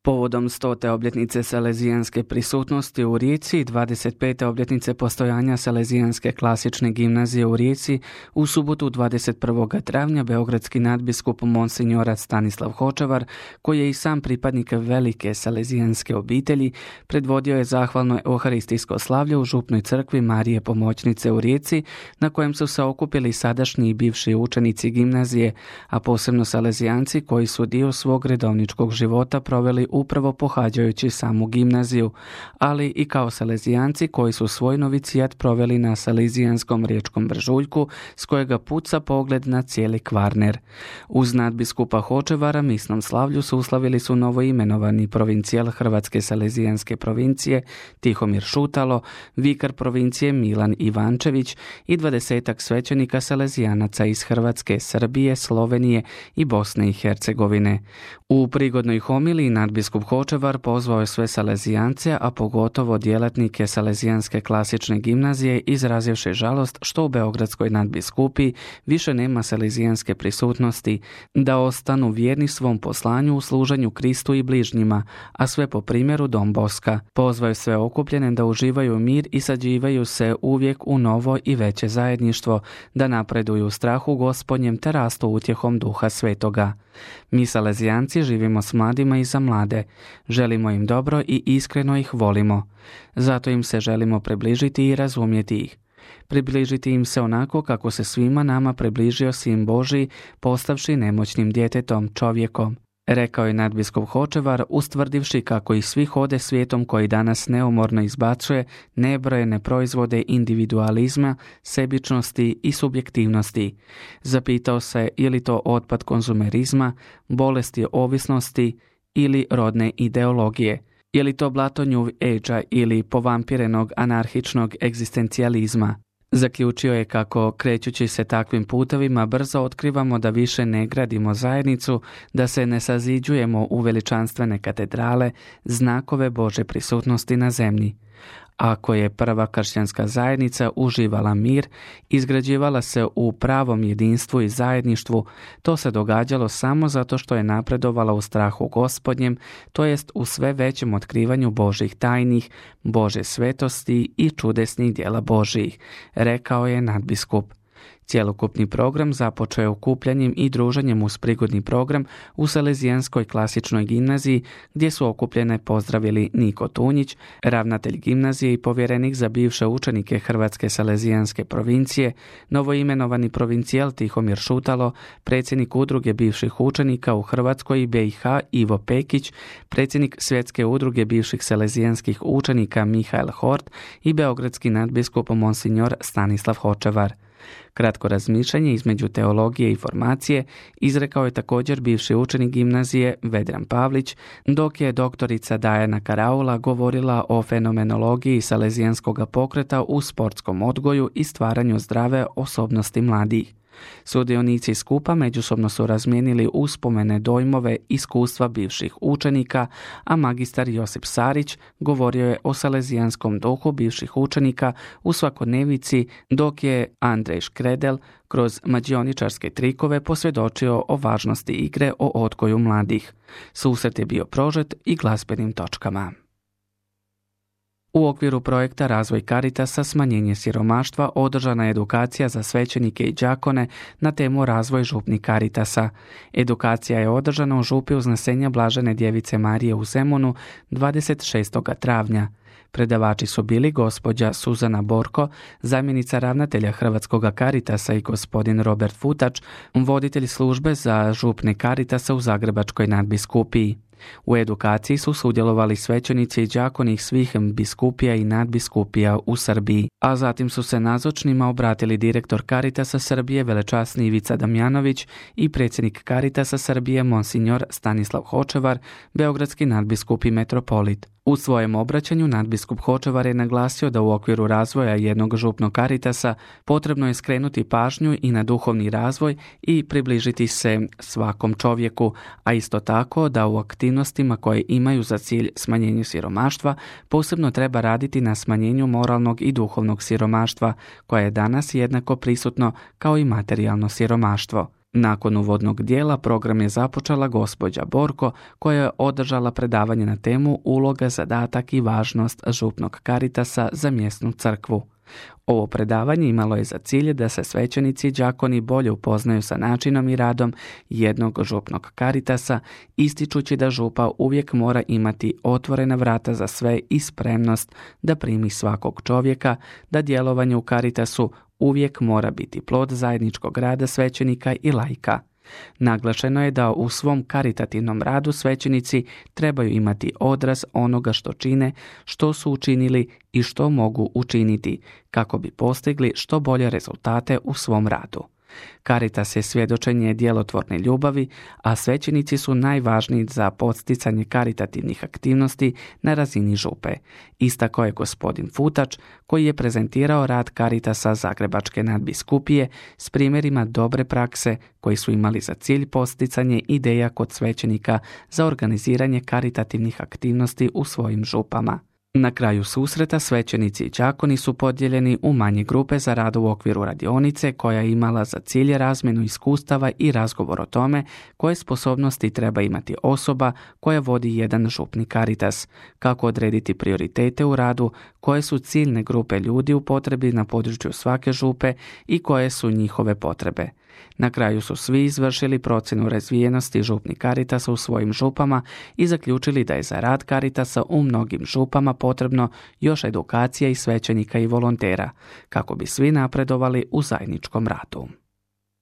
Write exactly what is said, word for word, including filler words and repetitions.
Povodom stote obljetnice salezijanske prisutnosti u Rijeci i dvadeset pete obljetnice postojanja Salezijanske klasične gimnazije u Rijeci, u subotu dvadeset prvog travnja beogradski nadbiskup monsinjor Stanislav Hočevar, koji je i sam pripadnik velike salezijanske obitelji, predvodio je zahvalno euharistijsko slavlje u župnoj crkvi Marije Pomoćnice u Rijeci, na kojem su se okupili sadašnji i bivši učenici gimnazije, a posebno salezijanci koji su dio svog redovničkog života proveli upravo pohađajući samu gimnaziju, ali i kao salezijanci koji su svoj novicijat proveli na salezijanskom riječkom brežuljku, s kojega puca pogled na cijeli Kvarner. Uz nadbiskupa Hočevara misnom slavlju suslavili su novoimenovani provincijal Hrvatske salezijanske provincije Tihomir Šutalo, vikar provincije Milan Ivančević i dvadesetak svećenika salezijanaca iz Hrvatske, Srbije, Slovenije i Bosne i Hercegovine. U prigodnoj homiliji nadbiskup Hočevar pozvao je sve salezijance, a pogotovo djelatnike Salezijanske klasične gimnazije, izrazivši žalost što u beogradskoj nadbiskupiji više nema salezijanske prisutnosti, da ostanu vjerni svom poslanju u služenju Kristu i bližnjima, a sve po primjeru Don Boska. Pozvao je sve okupljene da uživaju mir i sađivaju se uvijek u novo i veće zajedništvo, da napreduju u strahu Gospodnjem te rastu utjehom Duha Svetoga. Mi salezijanci živimo s mladima i za mlade, želimo im dobro i iskreno ih volimo. Zato im se želimo približiti i razumjeti ih. Približiti im se onako kako se svima nama približio Sin Božji, postavši nemoćnim djetetom, čovjekom. Rekao je nadbiskup Hočevar, ustvrdivši kako ih svi hode svijetom koji danas neumorno izbacuje nebrojene proizvode individualizma, sebičnosti i subjektivnosti. Zapitao se je li to otpad konzumerizma, bolesti ovisnosti ili rodne ideologije. Je li to blato New Age-a ili povampirenog anarhičnog egzistencijalizma? Zaključio je kako, krećući se takvim putevima, brzo otkrivamo da više ne gradimo zajednicu, da se ne saziđujemo u veličanstvene katedrale, znakove Božje prisutnosti na zemlji. Ako je prva kršćanska zajednica uživala mir, izgrađivala se u pravom jedinstvu i zajedništvu, to se događalo samo zato što je napredovala u strahu Gospodnjem, to jest u sve većem otkrivanju Božjih tajnih, Božje svetosti i čudesnih djela Božjih, rekao je nadbiskup. Cjelokupni program započeo je okupljanjem i druženjem uz prigodni program u Salezijanskoj klasičnoj gimnaziji, gdje su okupljene pozdravili Niko Tunjić, ravnatelj gimnazije i povjerenik za bivše učenike Hrvatske salezijanske provincije, novoimenovani provincijal Tihomir Šutalo, predsjednik udruge bivših učenika u Hrvatskoj i be i ha Ivo Pekić, predsjednik Svjetske udruge bivših salezijanskih učenika Mihael Hort i beogradski nadbiskup monsinjor Stanislav Hočevar. Kratko razmišljanje između teologije i formacije izrekao je također bivši učenik gimnazije Vedran Pavlić, dok je doktorica Dajana Karaula govorila o fenomenologiji salezijanskog pokreta u sportskom odgoju i stvaranju zdrave osobnosti mladih. Sudionici skupa međusobno su razmijenili uspomene, dojmove, iskustva bivših učenika, a magistar Josip Sarić govorio je o salezijanskom duhu bivših učenika u svakodnevici, dok je Andrej Škredel kroz mađioničarske trikove posvjedočio o važnosti igre o odgoju mladih. Susret je bio prožet i glazbenim točkama. U okviru projekta Razvoj Caritasa smanjenje siromaštva održana je edukacija za svećenike i đakone na temu Razvoj župni Caritasa. Edukacija je održana u župi Uznesenja Blažene Djevice Marije u Zemunu dvadeset šestog travnja. Predavači su bili gospođa Suzana Borko, zamjenica ravnatelja Hrvatskog Caritasa, i gospodin Robert Futač, voditelj službe za župne Caritasa u Zagrebačkoj nadbiskupiji. U edukaciji su sudjelovali svećenici i đakoni svih biskupija i nadbiskupija u Srbiji, a zatim su se nazočnima obratili direktor Caritasa Srbije velečasni Ivica Damjanović i predsjednik Caritasa Srbije monsinjor Stanislav Hočevar, beogradski nadbiskup i metropolit. U svojem obraćanju nadbiskup Hočevar je naglasio da u okviru razvoja jednog župnog Caritasa potrebno je skrenuti pažnju i na duhovni razvoj i približiti se svakom čovjeku, a isto tako da u aktivnostima koje imaju za cilj smanjenje siromaštva posebno treba raditi na smanjenju moralnog i duhovnog siromaštva, koje je danas jednako prisutno kao i materijalno siromaštvo. Nakon uvodnog dijela program je započela gospođa Borko koja je održala predavanje na temu uloga, zadatak i važnost župnog Caritasa za mjesnu crkvu. Ovo predavanje imalo je za cilj da se svećenici i đakoni bolje upoznaju sa načinom i radom jednog župnog Caritasa, ističući da župa uvijek mora imati otvorena vrata za sve i spremnost da primi svakog čovjeka, da djelovanje u Caritasu uvijek mora biti plod zajedničkog rada svećenika i laika. Naglašeno je da u svom karitativnom radu svećenici trebaju imati odraz onoga što čine, što su učinili i što mogu učiniti, kako bi postigli što bolje rezultate u svom radu. Caritas je svjedočenje djelotvorne ljubavi, a svećenici su najvažniji za podsticanje karitativnih aktivnosti na razini župe. Istakao je gospodin Futač, koji je prezentirao rad Caritasa Zagrebačke nadbiskupije s primjerima dobre prakse koji su imali za cilj posticanje ideja kod svećenika za organiziranje karitativnih aktivnosti u svojim župama. Na kraju susreta svećenici i đakoni su podijeljeni u manje grupe za rad u okviru radionice koja je imala za cilj razmjenu iskustava i razgovor o tome koje sposobnosti treba imati osoba koja vodi jedan župni Caritas, kako odrediti prioritete u radu, koje su ciljne grupe ljudi u potrebi na području svake župe i koje su njihove potrebe. Na kraju su svi izvršili procjenu razvijenosti župnih Caritasa u svojim župama i zaključili da je za rad Caritasa u mnogim župama potrebno još edukacija i svećenika i volontera, kako bi svi napredovali u zajedničkom radu.